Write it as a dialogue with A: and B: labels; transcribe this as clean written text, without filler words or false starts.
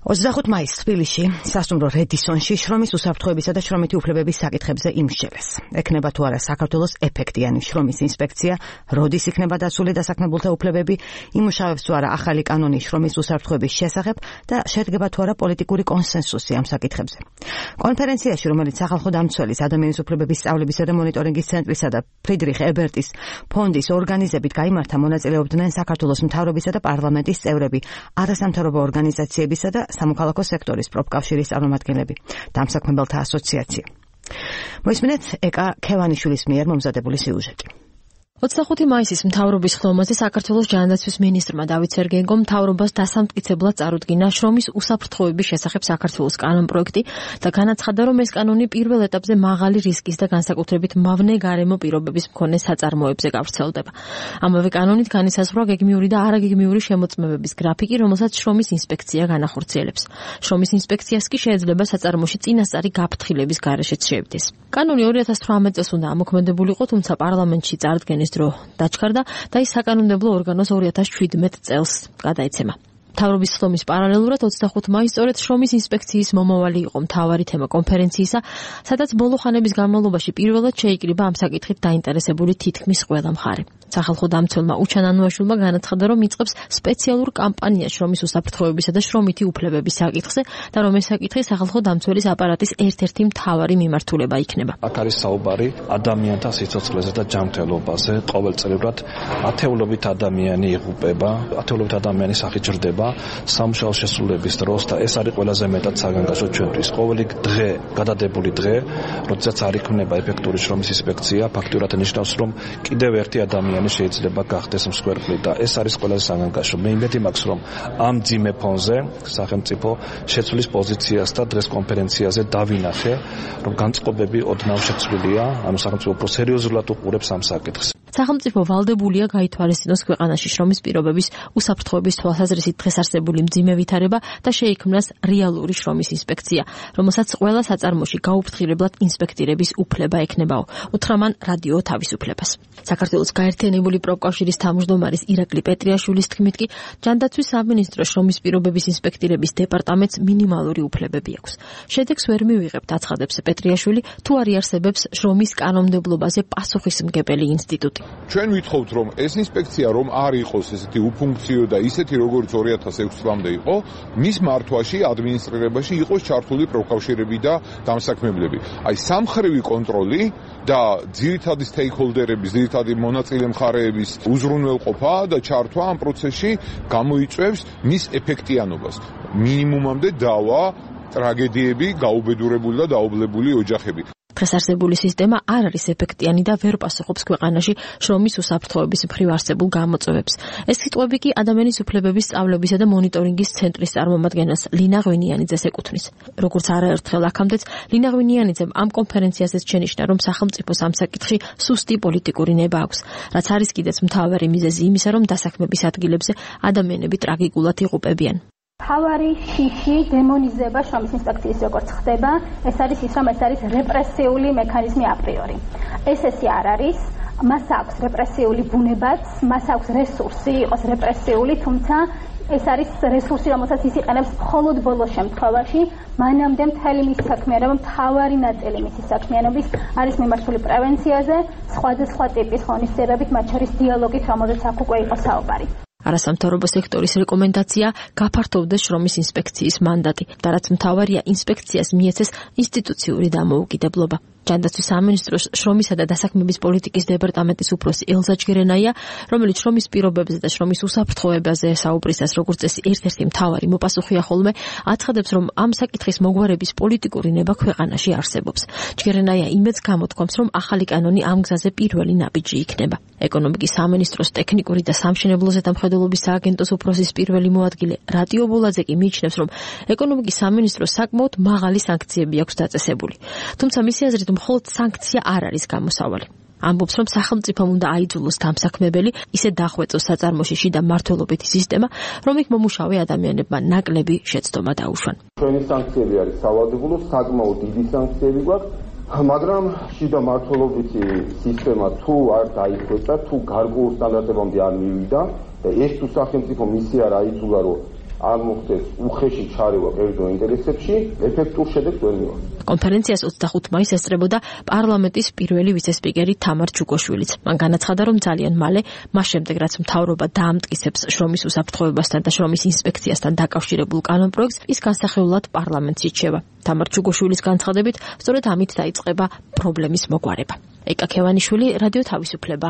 A: 25 მაისს თბილისში, სასტუმრო რედისონში შრომის უსაფრთხოებისა და შრომითი უფლებების საკითხებზე იმსჯელეს. ექნება თუ არა საქართველოს ეფექტიანი შრომის ინსპექცია, როდის იქნება დაცული დასაქმებულთა უფლებები, იმუშავებს თუ არა ახალი კანონი შრომის უსაფრთხოების შესახებ და შედგება თუ არა პოლიტიკური კონსენსუსი ამ საკითხებზე. კონფერენციაში, რომელიც სახალხო დამცველის ადამიანის უფლებების სწავლებისა და მონიტორინგის ცენტრისა და ფრიდრიხ ებერტის ფონდის ორგანიზებით გაიმართა, მონაწილეობდნენ საქართველოს მთავრობისა და პარლამენტის წევრები, არასამთავრობო ორგანიზაციებისა და სამოქალაქო სექტორის პროფკავშირის წარმომადგენლები, დამსაქმებელთა ასოციაცია. მოისმინეთ ეკა ქევანიშვილის მიერ მომზადებული სიუჟეტი.
B: 25 მაისის მთავრობის ხდომაზე საქართველოს ჯანდაცვის მინისტრმა დავით სერგეენკომ მთავრობას დასამტკიცებლად წარუდგინა შრომის უსაფრთხოების შესახებ საქართველოს კანონპროექტი და განაცხადა, რომ ეს კანონი პირველ ეტაპზე მაღალი რისკის და განსაკუთრებით მავნე გარემო პირობების მქონე საწარმოებზე გავრცელდება. ამავე კანონით განისაზღვრა გეგმიური და არაგეგმიური შემოწმებების გრაფიკი, რომელსაც შრომის ინსპექცია განახორციელებს. შრომის ინსპექციას კი შეიძლება საწარმოში წინასწარი გაფრთხილების გარეშეც შეებდეს. კანონი 2018 წელს უნდა ამოქმედებულიყო, თუმცა პარლამენტში წარდგენის დრო დაჩქარდა და ის საკანონმდებლო ორგანოს 2017 წელს გადაეცემა. მთავრობის ხდომის პარალელურად 25 მაისს სწორედ შრომის ინსპექციის მომავალი იყო მთავარი თემა კონფერენციისა, სადაც ბოლო ხანების განმავლობაში პირველად შეიკრიბა ამ საკითხით დაინტერესებული თითქმის ყველა მხარე. სახალხო დამცველმა უჩან ანუაშვილმა განაცხადა, რომ იწყებს სპეციალურ კამპანიას შრომის უსაფრთხოებისა და შრომითი უფლებების საკითხზე და რომ ეს საკითხი სახალხო დამცველის აპარატის ერთ-ერთი მთავარი მიმართულება იქნება.
C: აქ არის საუბარი ადამიანთა სიცოცხლეზე და ჯანმრთელობაზე. ყოველწლიურად ათეულობით ადამიანი იღუპება, ათეულობით ადამიანი სახიჭრდება სამუშაო შესრულების დროს და ეს არის ყველაზე მეტად საგანგაშო ჩვენთვის. ყოველი დღე, გადადებული დღე, როდესაც არ იქნება ეფექტური შრომის ინსპექცია, ფაქტურად ნიშნავს, რომ კიდევ ერთი ადამიანი შეიძლება გახდეს მსხვერპლი და ეს არის ყველაზე საგანგაშო. მე იმედი მაქვს, რომ ამ ძიმე ფონზე სახელმწიფო შეცვლის პოზიციას და დღეს კონფერენციაზე დავინახე, რომ განწყობები ოდნავ შეცვლილია, ანუ სახელმწიფო უფრო სერიოზულად უყურებს ამ საკითხს.
B: სახელმწიფო ვალდებულია გაითვალისწინოს ქვეყანაში შრომის პირობების უსაფრთხოების თვალსაზრისით დღეს არსებული მძიმე ვითარება და შეიქმნას რეალური შრომის ინსპექცია, რომელსაც ყველა საწარმოში გაუფრთხილებლად ინსპექტირების უფლება ექნებაო. უთხრა მან რადიო თავისუფლებას. საქართველოს გაერთიანებული პროფკავშირის თავმჯდომარის ირაკლი პეტრიაშვილის თქმით კი, ჯანდაცვის სამინისტროს შრომის პირობების ინსპექტირების დეპარტამენტს მინიმალური უფლებები აქვს. შედეგს ვერ მივიღებთ, აცხადებს პეტრიაშვილი, თუ არ იარსებებს შრომის კანონმდებლობაზე პასუხისმგებელი ინსტიტუტი.
D: ჩვენ ვითხოვთ, რომ ეს ინსპექცია რომ არ იყოს ესეთი უფუნქციო და ისეთი როგორც 2006 წლამდე იყო, მის მართვაში, ადმინისტრირებაში იყოს ჩართული პროფკავშირები და დამსაქმებლები. აი სამხრივი კონტროლი და ძირითადი სტეიქჰოლდერების, ძირითადი მონაწილე მხარეების უზრუნველყოფა და ჩართვა ამ პროცესში გამოიწვევს მის ეფექტიანობას. მინიმუმამდე დავა ტრაგედიები, გაუბედურებული და დაობლებული ოჯახები.
B: დღეს არსებული სისტემა არ არის ეფექტიანი და ვერ პასუხობს ქვეყანაში შრომის უსაფრთხოების მხრივ არსებულ გამოწვევებს. ეს სიტყვები კი ადამიანის უფლებების სწავლებისა და მონიტორინგის ცენტრის წარმომადგენელს ლინა ღვინიანიძეს ეკუთვნის. როგორც არაერთხელ აქამდეც, ლინა ღვინიანიძემ ამ კონფერენციაზეც შენიშნა, რომ სახელმწიფოს ამ საკითხში სუსტი პოლიტიკური ნება აქვს, რაც არის კიდეც მთავარი მიზეზი იმისა, რომ დასაქმების ადგილებზე ადამიანები ტრაგიკულად იღუპებიან.
E: თავარი შიში დემონიზება შრომის ინსპექციის როგორც ხდება, ეს არის ის, რომ ეს არის რეპრესიული მექანიზმი აპრიორი. ესე არ არის, მას აქვს რეპრესიული ბუნებაც, მას აქვს რესურსი იყოს რეპრესიული, თუმცა ეს არის რესურსი, რომელსაც ის იყენებს მხოლოდ ბოლო შემთხვევაში, მანამდე მთელი მისი საქმიანობა, მთავარი ნაწილი მისი საქმიანობის არის მიმართული პრევენციაზე, სხვადასხვა ტიპის ღონისძიებებით, მათ შორის დიალოგით, რომელზეც აქ უკვე იყო საუბარი.
B: არასამთავრობო სექტორის რეკომენდაცია გაფართოვდეს შრომის ინსპექციის მანდატი და რაც მთავარია ინსპექციას მიეცეს ინსტიტუციური დამოუკიდებლობა. ჯანდაცვის სამინისტროს შრომისა და დასაქმების პოლიტიკის დეპარტამენტის უფროსი ელზა ჯგერენაია, რომელიც შრომის პირობებზე და შრომის უსაფრთხოებაზე საუბრისას როგორც წესი ერთ-ერთი მთავარი მოპასუხეა ხოლმე, აცხადებს, რომ ამ საკითხის მოგვარების პოლიტიკური ნება ქვეყანაში არსებობს. ჯგერენაია იმედს გამოთქვამს, რომ ახალი კანონი ამ გზაზე პირველი ნაბიჯი იქნება. ეკონომიკის სამინისტროს ტექნიკური და სამშენებლო ზედამხედველობის სააგენტოს უფროსის პირველი მოადგილე რატიო ბოლაძე კი მიიჩნევს, რომ ეკონომიკის სამინისტროს საკმაოდ მაღალი სანქციები აქვს დაწესებული. თუმცა მისი აზრით მხოლოდ სანქცია არ არის გამოსავალი. ამბობს, რომ სახელმწიფომ უნდა აიძულოს დამსაქმებელი, ისე დახვეწოს საწარმოში შიდა მმართველობითი სისტემა, რომ იქ მომუშავე ადამიანებმა ნაკლები შეცდომა დაუშვან.
F: ჩვენი სანქციები არის სავალდებულო, საკმაოდ დიდი სანქციები გვაქვს, მაგრამ შიდა მმართველობითი სისტემა თუ არ დაიხვეწა, თუ გარკვეულ სტანდარტებამდე არ მივიდა, და ეს თუ სახელმწიფო მისი არ აიძულა, რომ არ მოხდეს უხეში ჩარევა კერძო ინტერესებში, ეფექტურ შედეგს ვერ მივიღებთ.
B: კონფერენციას 25 მაისს ესწრებოდა პარლამენტის პირველი ვიცე-სპიკერი თამარ ჩუგოშვილიც. მან განაცხადა, რომ ძალიან მალე, მას შემდეგ რაც მთავრობა დაამტკიცებს შრომის უსაფრთხოებასთან და შრომის ინსპექციასთან დაკავშირებულ კანონპროექტს, ის განსახილველად პარლამენტში რჩება. თამარ ჩუგოშვილის განცხადებით, სწორედ ამით დაიწყება პრობლემის მოგვარება. ეკა ქევანიშვილი, რადიო თავისუფლება,